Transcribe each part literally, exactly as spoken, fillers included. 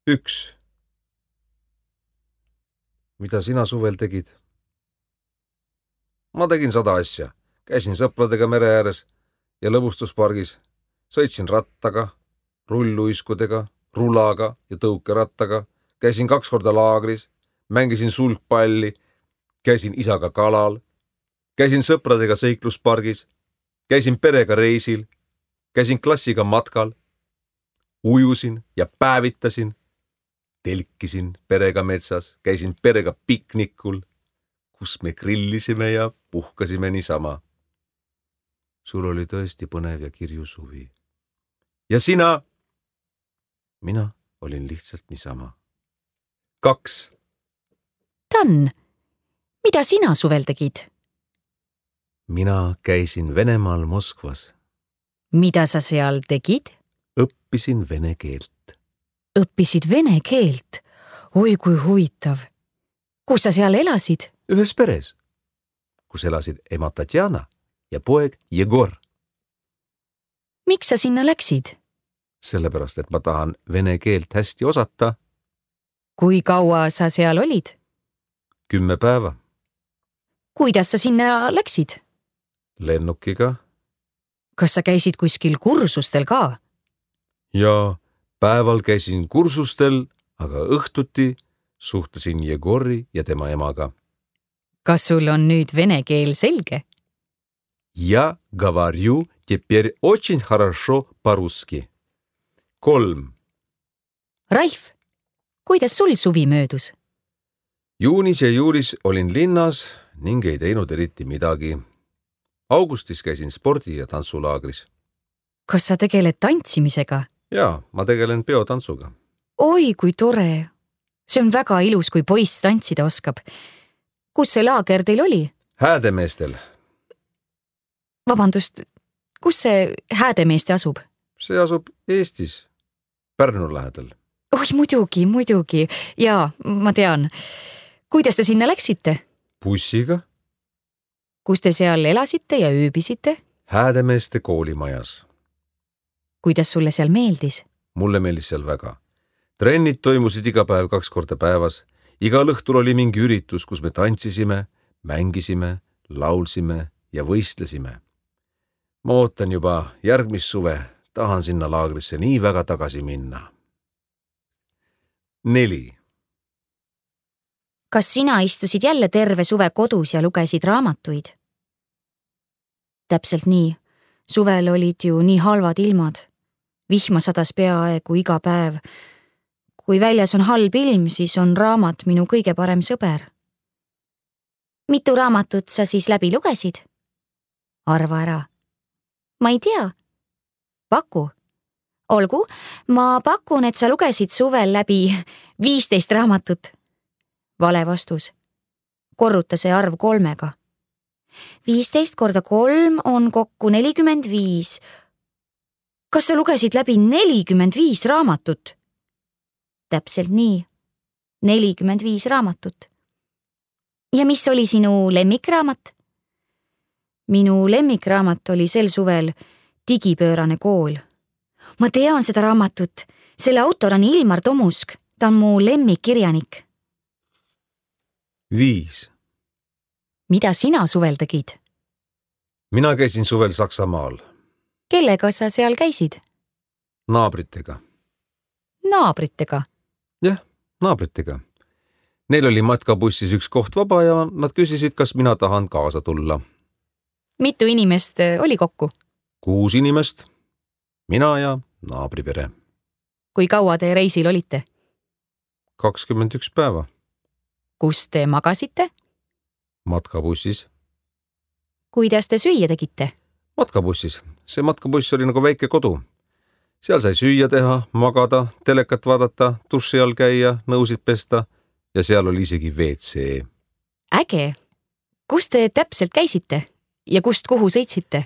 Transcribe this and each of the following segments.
üks. Mida sina suvel tegid? Ma tegin sada asja. Käisin sõpradega mere ääres ja lõbustuspargis. Sõitsin rattaga, rulluiskudega, rulaga ja tõukerattaga. Käisin kaks korda laagris, mängisin sulgpalli, käisin isaga kalal, käisin sõpradega seikluspargis, käisin perega reisil, käisin klassiga matkal, ujusin ja päevitasin, telkisin perega metsas, käisin perega piknikul, kus me grillisime ja puhkasime niisama. Sul oli tõesti põnev ja kirju suvi. Ja sina? Mina olin lihtsalt niisama. Kaks. Dan, mida sina suvel tegid? Mina käisin Venemaal Moskvas. Mida sa seal tegid? Õppisin vene keelt. Õppisid vene keelt? Oi, kui huvitav. Kus sa seal elasid? Ühes peres, kus elasid ema Tatjana ja poeg Jegor. Miks sa sinna läksid? Sellepärast, et ma tahan vene keelt hästi osata. Kui kaua sa seal olid? Kümme päeva. Kuidas sa sinna läksid? Lennukiga. Kas sa käisid kuskil kursustel ka? Ja päeval käisin kursustel, aga õhtuti suhtlesin Jegori ja tema emaga. Kas sul on nüüd vene keel selge? Я говорю теперь очень хорошо по-русски. Kolm. Ralf, kuidas sul suvi möödus? Juunis ja juulis olin linnas ning ei teinud eriti midagi. Augustis käisin spordi- ja tantsulaagris. Kas sa tegeled tantsimisega? Jaa, ma tegelen peotantsuga. Oi, kui tore. See on väga ilus, kui poiss tantsida oskab. Kus see laager teil oli? Häädemeestel. Vabandust, kus see Häädemeeste asub? See asub Eestis, Pärnu lähedal. Oi, muidugi, muidugi. Jaa, ma tean. Kuidas te sinna läksite? Bussiga. Kus te seal elasite ja ööbisite? Häädemeeste koolimajas. Kuidas sulle seal meeldis? Mulle meeldis seal väga. Trennid toimusid iga päev kaks korda päevas. Igal õhtul oli mingi üritus, kus me tantsisime, mängisime, laulsime ja võistlesime. Ma ootan juba järgmist suve, tahan sinna laagrisse nii väga tagasi minna. Neli. Kas sina istusid jälle terve suve kodus ja lugesid raamatuid? Täpselt nii. Suvel olid ju nii halvad ilmad. Vihma sadas peaaegu iga päev. Kui väljas on halb ilm, siis on raamat minu kõige parem sõber. Mitu raamatut sa siis läbi lugesid? Arva ära. Ma ei tea. Paku. Olgu, ma pakun, et sa lugesid suvel läbi viisteist raamatut. Vale vastus. Korruta see arv kolmega. viisteist korda kolm on kokku nelikümmend viis. Kas sa lugesid läbi nelikümmend viis raamatut? Täpselt nii. nelikümmend viis raamatut. Ja mis oli sinu lemmikraamat? Minu lemmikraamat oli sel suvel Digipöörane kool. Ma tean seda raamatut. Selle autor on Ilmar Tomusk. Ta on mu lemmikkirjanik. Viis. Mida sina suvel tegid? Mina käisin suvel Saksamaal. Kellega sa seal käisid? Naabritega. Naabritega? Jah, naabritega. Neil oli matkabussis üks koht vaba ja nad küsisid, kas mina tahan kaasa tulla. Mitu inimest oli kokku? Kuus inimest. Mina ja naabripere. Kui kaua te reisil olite? kakskümmend üks päeva. Kus te magasite? Matkabussis. Kuidas te süüa tegite? Matkabussis. See matkabuss oli nagu väike kodu. Seal sai süüa teha, magada, telekat vaadata, duši all käia, nõusid pesta ja seal oli isegi V C. Äge! Kus te täpselt käisite ja kust kuhu sõitsite?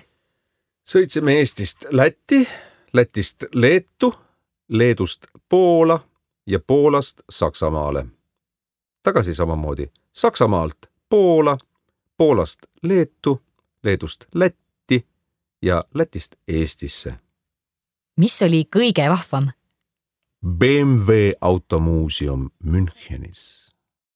Sõitsime Eestist Lätti, Lätist Leetu, Leedust Poola ja Poolast Saksamaale. Tagasi samamoodi Saksamaalt Poola, Poolast Leetu, Leedust Lätti ja Lätist Eestisse. Mis oli kõige vahvam? B M W automuuseum Münchenis.